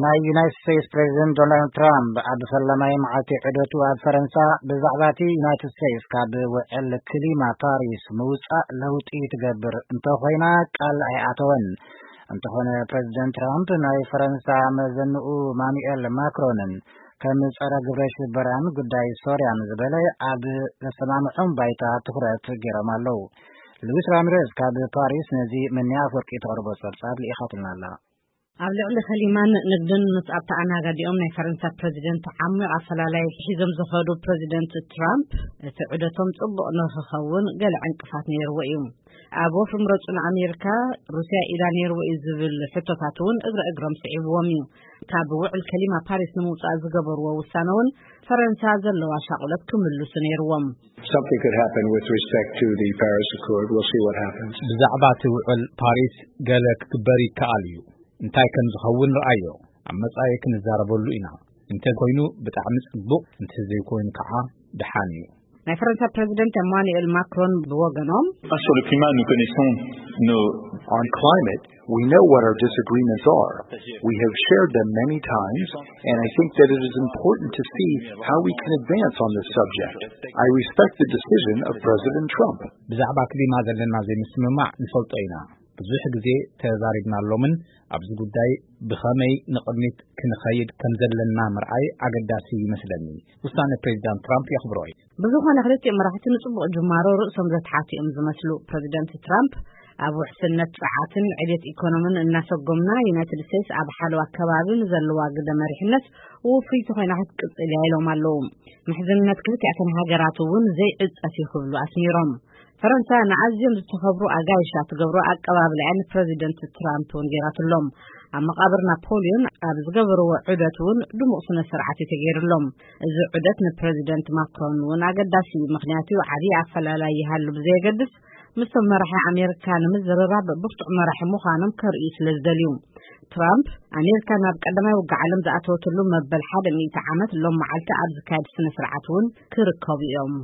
ናይ ዩናይትድ ስቴትስ ፕሬዚደንት ዶናልድ ትራምፕ ኣብ ፈላማይ መዓልቲ ዑደቱ ኣብ ፈረንሳ ብዛዕባ እቲ ዩናይትድ ስቴትስ ካብ ውዕል ክሊማ ፓሪስ ምውፃእ ለውጢ ትገብር እንተኾይና ቃል ኣይኣተወን። እንተኾነ ፕሬዚደንት ትራምፕ ናይ ፈረንሳ መዘንኡ ማኑኤል ማክሮንን ከም ጸረ ግብረ ሽበራን ጉዳይ ሶርያን ዝበለ ኣብ ዘሰማምዖም ባይታ ትኹረት ገይሮም ኣለዉ። ሉዊስ ራሚሬዝ ካብ ፓሪስ ነዚ መኒያ ኣፈወርቂ ተቕርቦ ጸብጻብ ልኢኻትልና ኣላ። ኣብ ልዕሊ ከሊማን ንግድን ምስ ኣብቲ ኣናጋዲኦም ናይ ፈረንሳ ፕረዚደንት ዓሚቕ ኣፈላላይ ሒዞም ዝኸዱ ፕረዚደንት ትራምፕ፣ እቲ ዑደቶም ጽቡቕ ንኽኸውን ገለ ዕንቅፋት ነይርዎ እዩ። ኣብ ወፍሪ ምረጹ ንኣሜሪካ ሩስያ ኢዳ ነይርዎ እዩ ዝብል ሕቶታት እውን እግረ እግሮም ስዒብዎም እዩ። ካብ ውዕል ከሊማ ፓሪስ ንምውጻእ ዝገበርዎ ውሳነ እውን ፈረንሳ ዘለዋ ሻቑለት ክምልሱ ነይርዎም። Something could happen with respect to the Paris Accord. We'll see what happens. ብዛዕባ እቲ ውዕል ፓሪስ ገለ ክግበር ይከኣል እዩ። እንታይ ከም ዝኸውን ረኣዮ። ኣብ መጻኢ ክንዛረበሉ ኢና። እንተ ኮይኑ ብጣዕሚ ጽቡቕ፣ እንተ ዘይኮይኑ ከዓ ደሓን እዩ። ናይ ፈረንሳ ፕረዚደንት ኤማኑኤል ማክሮን ብወገኖም፣ Sur le climat, nous connaissons nos... On climate, we know what our disagreements are. We have shared them many times, and I think that it is important to see how we can advance on this subject. I respect the decision of President Trump. ብዛዕባ ክሊማ ዘለና ዘይምስምማዕ ንፈልጦ ኢና። ብዙሕ ግዜ ተዛሪብናሎምን ኣብዚ ጉዳይ ብኸመይ ንቕድሚት ክንኸይድ ከም ዘለና ምርኣይ ኣገዳሲ ይመስለኒ። ውሳነ ፕሬዚዳንት ትራምፕ የኽብሮ እዩ። ብዝኾነ ክልቲኦም መራሕቲ ንጽቡቕ ጅማሮ ርእሶም ዘትሓቱ እዮም ዝመስሉ። ፕረዚደንት ትራምፕ ኣብ ውሕስነት ጸዓትን ዕቤት ኢኮኖምን እናሰጎምና ዩናይትድ ስቴትስ ኣብ ሓለዋ ከባቢ ንዘለዋ ግደ መሪሕነት ውፍይቲ ኮይና ክትቅጽል እያ ኢሎም ኣለዉ። ምሕዝነት ክልቲኣተን ሃገራት እውን ዘይዕጸፍ እዩ ክብሉ ኣስሚሮም። ፈረንሳ ንኣዝዮም ዝተኸብሩ ኣጋይሻ ትገብሮ ኣቀባብላ እያ ንፕረዚደንት ትራምፕ እውን ገይራትሎም። ኣብ መቓብር ናፖልዮን ኣብ ዝገበርዎ ዑደት እውን ድሙቕ ስነ ስርዓት እዩ ተገይርሎም። እዚ ዑደት ንፕረዚደንት ማክሮን እውን ኣገዳሲ እዩ፣ ምኽንያቱ ዓብዪ ኣፈላላይ ይሃሉ ብዘየገድስ ምስቶም መራሒ ኣሜሪካ ንምዝርራብ ብርቱዕ መራሒ ምዃኖም ከርእዩ ስለ ዝደልዩ። ትራምፕ ኣሜሪካ ናብ ቀዳማይ ውግእ ዓለም ዝኣተወትሉ መበል ሓደ ሚእቲ ዓመት ሎም መዓልቲ ኣብ ዝካየድ ስነ ስርዓት እውን ክርከቡ እዮም።